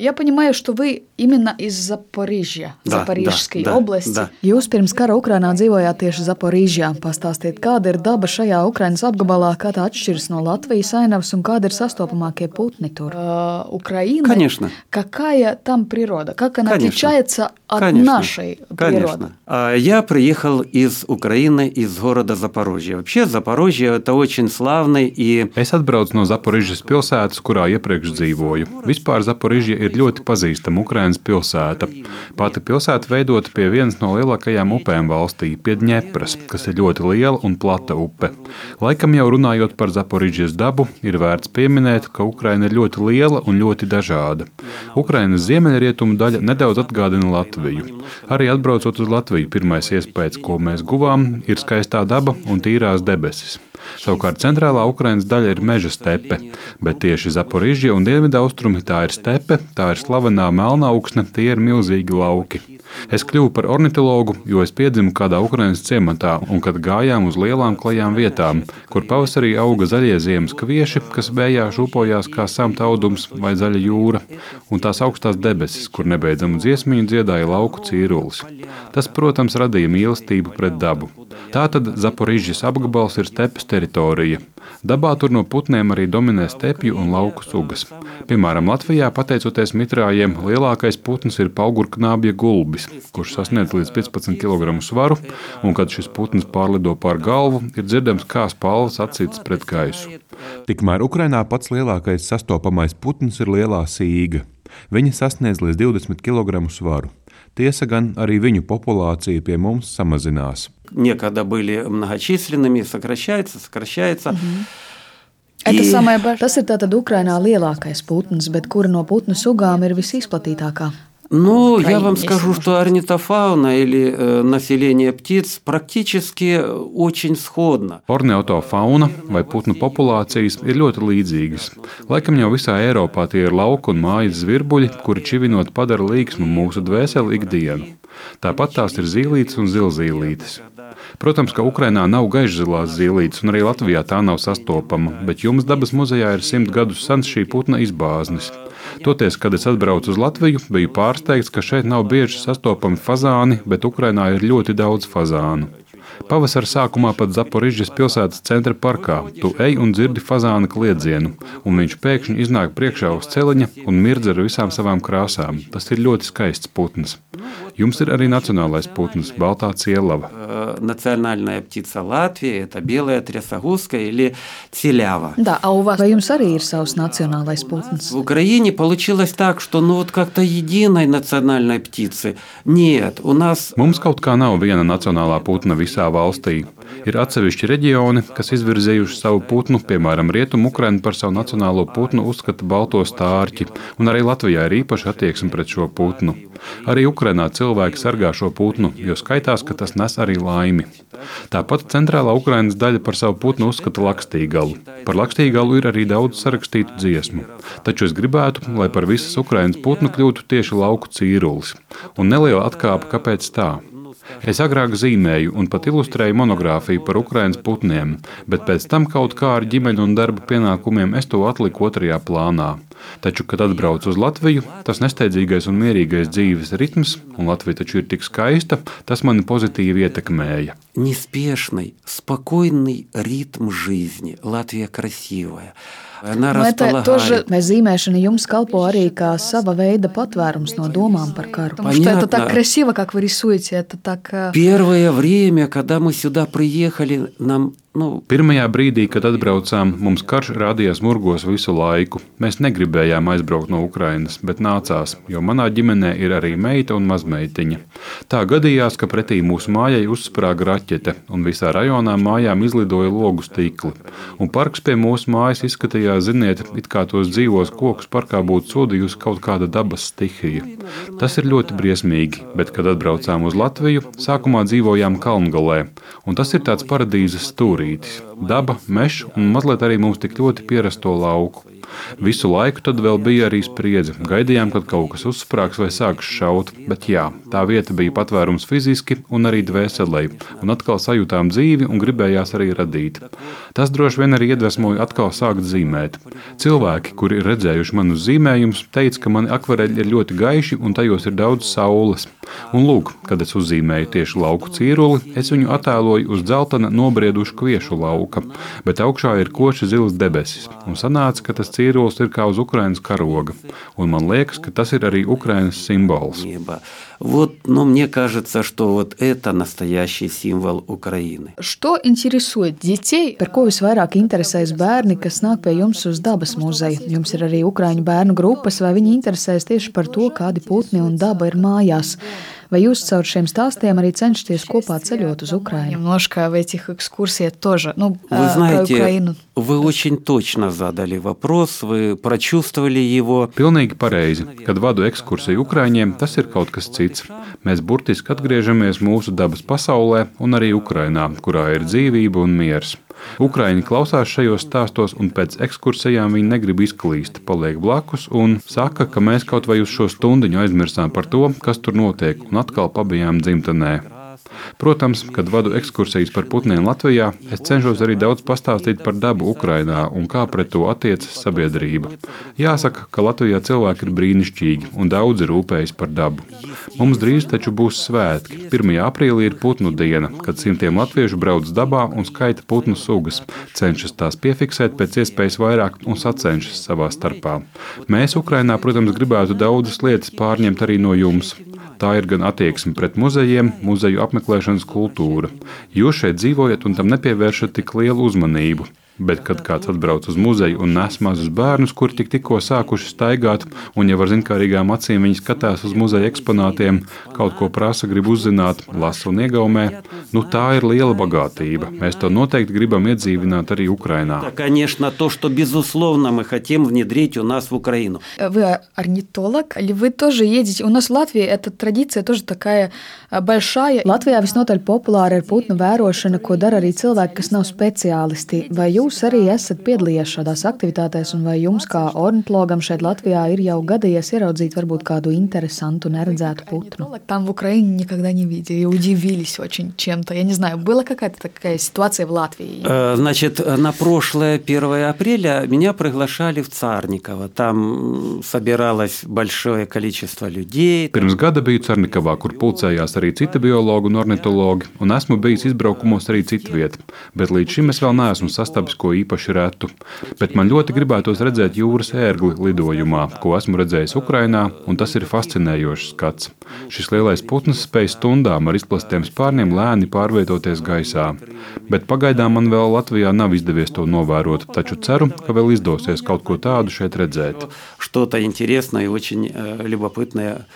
Я понимаю, что вы именно из Запорīžja, Запорīžской области. Да. Jūs pirms kara Ukrainā dzīvojāt tieši Запорīžjā. Pastāstiet, kāda ir daba šajā Ukrainas apgabalā, kā tā atšķiras no Latvijas ainavas un kādi ir sastopamākie putni tur? Украина. Конечно. Какая там природа? Как она отличается от нашей природы? Я приехал из Украины, из города Запорожье. Вообще Запорожье – это очень славный и... Es atbraucu no Zaporižas pilsētas, kurā iepriekš dzīvoju. Vispār Zaporižja ir ļoti pazīstama Ukrainas pilsēta. Pati pilsēta veidota pie vienas no lielākajām upēm valstī, pie Dņepras, kas ir ļoti liela un plata upe. Laikam jau runājot par Zaporižjas dabu, ir vērts pieminēt, ka Ukraina ir ļoti liela un ļoti dažāda. Ukrainas ziemeļrietumu daļa nedaudz atgādina Latviju. Arī atbraucot uz Latviju, pirmais iespējas, ko mēs guvām, ir skaistā daba un tīrās debesis. Savukārt centrālā Ukrainas daļa ir meža stepe, bet tieši Zaporižja un dienvidaustrumi tā ir stepe, tā ir slavenā Melnauksne, tie ir milzīgi lauki. Es kļuvu par ornitologu, jo es piedzimu kādā Ukrainas ciematā un kad gājām uz lielām klajām vietām, kur pavasarī auga zaļie ziemas kvieši, kas vējā šūpojās kā samta audums vai zaļa jūra, un tās augstās debesis, kur nebeidzamu dziesmiņu dziedāja lauku cīrulis. Tas, protams, radīja mīlestību pret dabu. Tātad Zaporižjas apgabals ir stepes teritorija. Dabā tur no putniem arī dominē stepju un lauku sugas. Piemēram, Latvijā, pateicoties mitrājiem, lielākais putns ir paugurknābja gulbis, kurš sasniedz līdz 15 kg svaru, un kad šis putns pārlido pār galvu, ir dzirdams, kā spalvas atsītas pret gaisu. Tikmēr Ukrainā pats lielākais sastopamais putns ir lielā sīga. Viņa sasniedz līdz 20 kg svaru. Tiesa gan arī viņu populācija pie mums samazinās. Некогда были многочисленными, сокращается. Tas ir tātad Ukrainā lielākais putns, bet kura no putnu sugām ir visizplatītākā? Ну, я вам скажу, что орнитофауна или население птиц практически очень сходно. Ornitofauna vai putnu populācijas ir ļoti līdzīgas. Laikam jau visā Eiropā tie ir lauku un mājas zvirbuļi, kuri čivinot padara līksmu mūsu dvēseli ikdienu. Tāpat tās ir zīlītes un zilzīlītes. Protams, ka Ukrainā nav gaišzilās zīlītes, un arī Latvijā tā nav sastopama, bet jums dabas muzejā ir 100 gadus sens šī putna izbāznis. Toties, kad es atbraucu uz Latviju, biju pārsteigts, ka šeit nav bieži sastopami fazāni, bet Ukrainā ir ļoti daudz fazānu. Pavasara sākumā pat Zaporižjas pilsētas centra parkā tu ej un dzirdi fazāna kliedzienu, un viņš pēkšņi iznāk priekšā uz celiņa un mirdz ar visām savām krāsām. Tas ir ļoti skaists putns. Jums ir arī nacionālais putns, baltā cielava. Национальная птица Латвии – это белая трясогузка или телява. Да, а у вас vai jums arī ir savs nacionālais putns? В Украине получилось так, что вот как-то единой национальной птицы нет. У нас... Mums kaut kā nav viena nacionālā putna visā valstī. Ir atsevišķi reģioni, kas izvirzījuši savu putnu, piemēram, Rietumu Ukraina par savu nacionālo putnu uzskata balto stārķi, un arī Latvijā ir īpaša attieksme pret šo putnu. Arī Ukrainā cilvēki sargā šo putnu, jo skaitās, ka tas nes arī laimi. Tāpat centrālā Ukrainas daļa par savu putnu uzskata lakstīgalu. Par lakstīgalu ir arī daudz sarakstītu dziesmu. Taču es gribētu, lai par visas Ukrainas putnu kļūtu tieši lauku cīrulis. Un neliela atkāpe, kāpēc tā? Es agrāk zīmēju un pat ilustrēju monogrāfiju par Ukrainas putniem, bet pēc tam kaut kā ar ģimeņu un darba pienākumiem es to atliku otrajā plānā. Taču, kad atbraucu uz Latviju, tas nesteidzīgais un mierīgais dzīves ritms, un Latvija taču ir tik skaista, tas mani pozitīvi ietekmēja. Неспешный, спокойный ритм жизни. Латвия красивая. Vai zīmēšana jums kalpo arī kā sava veida patvērums no domām par karu? Потому что это так красиво, как вы рисуете, это так... Первое время, когда мы сюда приехали, нам... Pirmajā brīdī, kad atbraucām, mums karš rādījās murgos visu laiku. Mēs negribējām aizbraukt no Ukrainas, bet nācās, jo manā ģimenē ir arī meita un mazmeitiņa. Tā gadījās, ka pretī mūsu mājai uzsprāga raķete, un visā rajonā mājām izlidoja logu stikli. Un parks pie mūsu mājas izskatījās, ziniet, it kā tos dzīvos kokus parkā būtu sodījusi kaut kāda dabas stihija. Tas ir ļoti briesmīgi, bet, kad atbraucām uz Latviju, sākumā dzīvojām Kalngalē, un tas ir tāds paradīzes stūris. stūrītis. Daba, mežs un mazliet arī mums tik ļoti pierasto lauku. Visu laiku tad vēl bija arī spriedze. Gaidījām, kad kaut kas uzsprāgs vai sāks šaut, bet jā, tā vieta bija patvērums fiziski un arī dvēselē, un atkal sajūtām dzīvi un gribējās arī radīt. Tas droši vien arī iedvesmoja atkal sākt zīmēt. Cilvēki, kuri ir redzējuši manus zīmējumus, teica, ka mani akvareļi ir ļoti gaiši un tajos ir daudz saules. Un lūk, kad es uzzīmēju tieši lauku cīruli, es viņu attēloju uz dzeltena nobriedušu kviešu lauka, bet augšā ir koši zils debesis, un sanāca, ka tas cīrulis ir kā uz Ukrainas karoga, un man liekas, ka tas ir arī Ukrainas simbols. Мне кажется, что вот это настоящий символ Украины. Что интересует детей? Par ko visvairāk interesēs bērni, kas nāk pie jums uz dabas muzeju? Jums ir arī ukraiņu bērnu grupas, vai viņi interesēs tieši par to, kādi putni un daba ir mājās? Vai jūs caur šiem stāstiem arī cenšaties kopā ceļot uz Украину? Немножко в этих экскурсиях тоже, Вы знаете, вы очень точно задали вопрос, вы прочувствовали его. Pilnīgi pareizi. Kad vadu ekskursiju Ukraiņiem, tas ir kaut kas cits. Mēs burtiski atgriežamies mūsu dabas pasaulē un arī Ukrainā, kurā ir dzīvība un miers. Ukraiņi klausās šajos stāstos, un pēc ekskursijām viņi negrib izklīst, paliek blakus un saka, ka mēs kaut vai uz šo stundiņu aizmirsām par to, kas tur notiek, un atkal pabijām dzimtenē. Protams, kad vadu ekskursijas par putniem Latvijā, es cenšos arī daudz pastāstīt par dabu Ukrainā un kā pret to attiecas sabiedrība. Jāsaka, ka Latvijā cilvēki ir brīnišķīgi un daudzi rūpējas par dabu. Mums drīz taču būs svētki. 1. aprīlī ir putnu diena, kad simtiem latviešu brauc dabā un skaita putnu sugas, cenšas tās piefiksēt pēc iespējas vairāk un sacenšas savā starpā. Mēs Ukrainā, protams, gribētu daudzas lietas pārņemt arī no jums. Tā ir gan attieksme pret muzejiem, muzeju apmeklēšanas kultūra. Jūs šeit dzīvojat un tam nepievēršat tik lielu uzmanību. Bet, kad kāds atbrauc uz muzeju un nes mazus bērnus, kuri tikko sākuši staigāt, un jau ar zinkārīgām acīm viņi skatās uz muzeja eksponātiem, kaut ko prasa, grib uzzināt, lasa un iegaumē, tā ir liela bagātība. Mēs to noteikti gribam iedzīvināt arī Ukrainā. Конечно, то, что безусловно мы хотим внедрить у нас в Украину. Вы орнитолог, или вы тоже едете? У нас в Латвии эта традиция тоже такая большая. Latvijā visnotaļ populāra ir putnu vērošana, ko dara arī cilvēki, kas nav speciālisti. Vai jūs arī esat piedalījies šādās aktivitātēs, un vai jums kā ornitologam šeit Latvijā ir jau gadījies ieraudzīt varbūt kādu interesantu, neredzētu putnu? Там в Украине никогда не видели, удивились очень чем-то. Я не знаю, была какая-то такая ситуация в Латвии? Значит, на прошлое 1 апреля меня приглашали в Царниково. Там собиралось большое количество людей. Pirms gada biju Carnikavā, kur pulcējās arī citi biologi un ornitologi, un esmu bijis izbraukumos arī citviet, bet līdz šim es vēl neesmu sastabis ko īpaši retu. Bet man ļoti gribētos redzēt jūras ērgli lidojumā, ko esmu redzējis Ukrainā, un tas ir fascinējošs skats. Šis lielais putns spēj stundām ar izplastiem spārniem lēni pārvietoties gaisā. Bet pagaidām man vēl Latvijā nav izdevies to novērot, taču ceru, ka vēl izdosies kaut ko tādu šeit redzēt. Что-то интересное и очень любопытное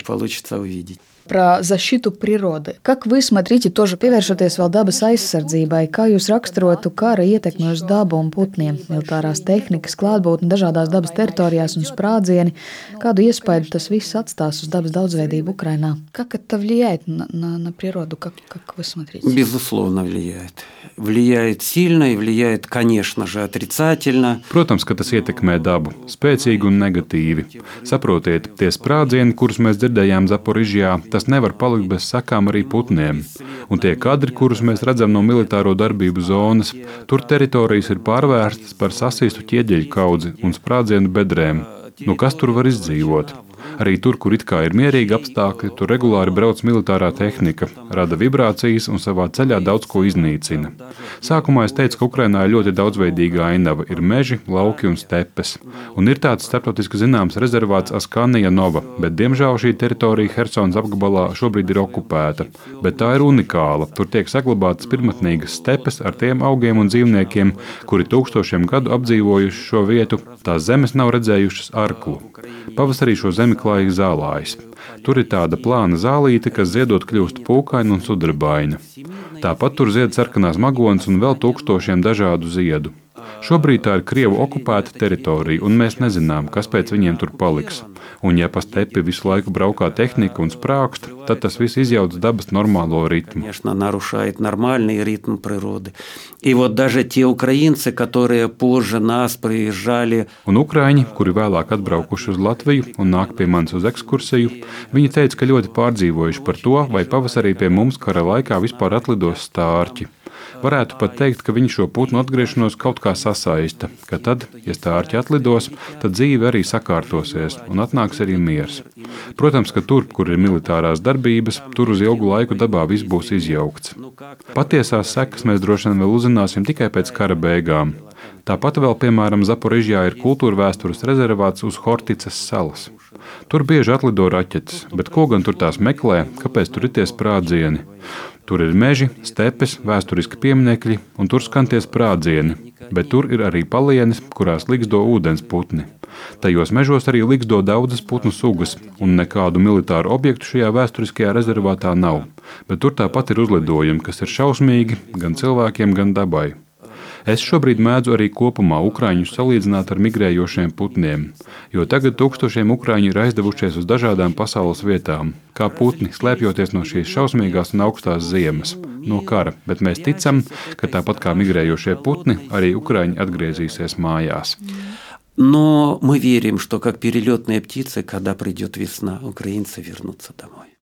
получится увидеть. Про защиту природы. Как вы смотрите, тоже pievēršoties vēl dabas aizsardzībai, kā jūs raksturotu kara ietekmi uz dabu un putniem, militārās tehnikas, klātbūtne dažādās dabas teritorijās un sprādzieni, kādu iespēju tas viss atstās uz dabas daudzveidību Ukrainā? Как это влияет на природу? Как вы смотрите? Безусловно, влияет. Влияет сильно и влияет, конечно же, отрицательно. Protams, ka tas ietekmē dabu, spēcīgi un negatīvi. Saprotiet, tie sprādzieni, kurus mēs dzirdējām Zaporižjā, tas nevar palikt bez sakām arī putniem. Un tie kadri, kurus mēs redzam no militāro darbību zonas, tur teritorijas ir pārvērstas par sasīstu ķieģeļu kaudzi un sprādzienu bedrēm. Kas tur var izdzīvot? Arī tur, kur it kā ir mierīgi apstākļi, tur regulāri brauc militārā tehnika, rada vibrācijas un savā ceļā daudz ko iznīcina. Sākumā es teicu, ka Ukrainā ir ļoti daudzveidīga ainava, ir meži, lauki un stepes. Un ir tāds starptautiski zināms rezervāts Askanija Nova, bet diemžēl šī teritorija Hersonas apgabalā šobrīd ir okupēta. Bet tā ir unikāla. Tur tiek saglabātas pirmatnīgas stepes ar tiem augiem un dzīvniekiem, kuri tūkstošiem gadu apdzīvojuši šo vietu. Tās zemes nav redzējušas arklu. Pavasarī šo zemi klāja zālājs. Tur ir tāda plāna zālīte, kas ziedot kļūst pūkaina un sudrabaina. Tāpat tur zied sarkanās magonas un vēl tūkstošiem dažādu ziedu. Šobrīd tā ir Krievu okupēta teritorija, un mēs nezinām, kas pēc viņiem tur paliks. Un ja pa stepi visu laiku braukā tehnika un sprākst, tad tas viss izjauc dabas normālo ritmu. Конечно, нарушает нормальный ритм природы. И вот даже те украинцы, которые позже нас приезжали. Un ukraiņi, kuri vēlāk atbraukuši uz Latviju un nāk pie manis uz ekskursiju, viņi teica, ka ļoti pārdzīvojuši par to, vai pavasarī pie mums kara laikā vispār atlidos stārķi. Varētu pat teikt, ka viņi šo putnu atgriešanos kaut kā sasaista, ka tad, ja stārķi atlidos, tad dzīve arī sakārtosies un atnāks arī miers. Protams, ka tur, kur ir militārās darbības, tur uz ilgu laiku dabā viss būs izjaukts. Patiesās sekas mēs droši vien vēl uzzināsim tikai pēc kara beigām. Tāpat vēl, piemēram, Zaporižjā ir kultūra vēstures rezervāts uz Horticas salas. Tur bieži atlido raķetes, bet ko gan tur tās meklē, kāpēc tur ir tie sprādzieni? Tur ir meži, stepes, vēsturiski pieminekļi, un tur skan tie sprādzieni, bet tur ir arī palienes, kurās ligzdo ūdens putni. Tajos mežos arī ligzdo daudzas putnu sugas, un nekādu militāru objektu šajā vēsturiskajā rezervātā nav, bet tur tāpat ir uzlidojumi, kas ir šausmīgi gan cilvēkiem, gan dabai. Es šobrīd mēdzu arī kopumā ukraiņus salīdzināt ar migrējošiem putniem, jo tagad tūkstošiem ukraiņu ir aizdevušies uz dažādām pasaules vietām, kā putni, slēpjoties no šīs šausmīgās un augstās ziemas, no kara, bet mēs ticam, ka tāpat kā migrējošie putni, arī ukraiņi atgriezīsies mājās. Но мы верим, что как перелетные птицы, когда придет весна, украинцы вернутся домой.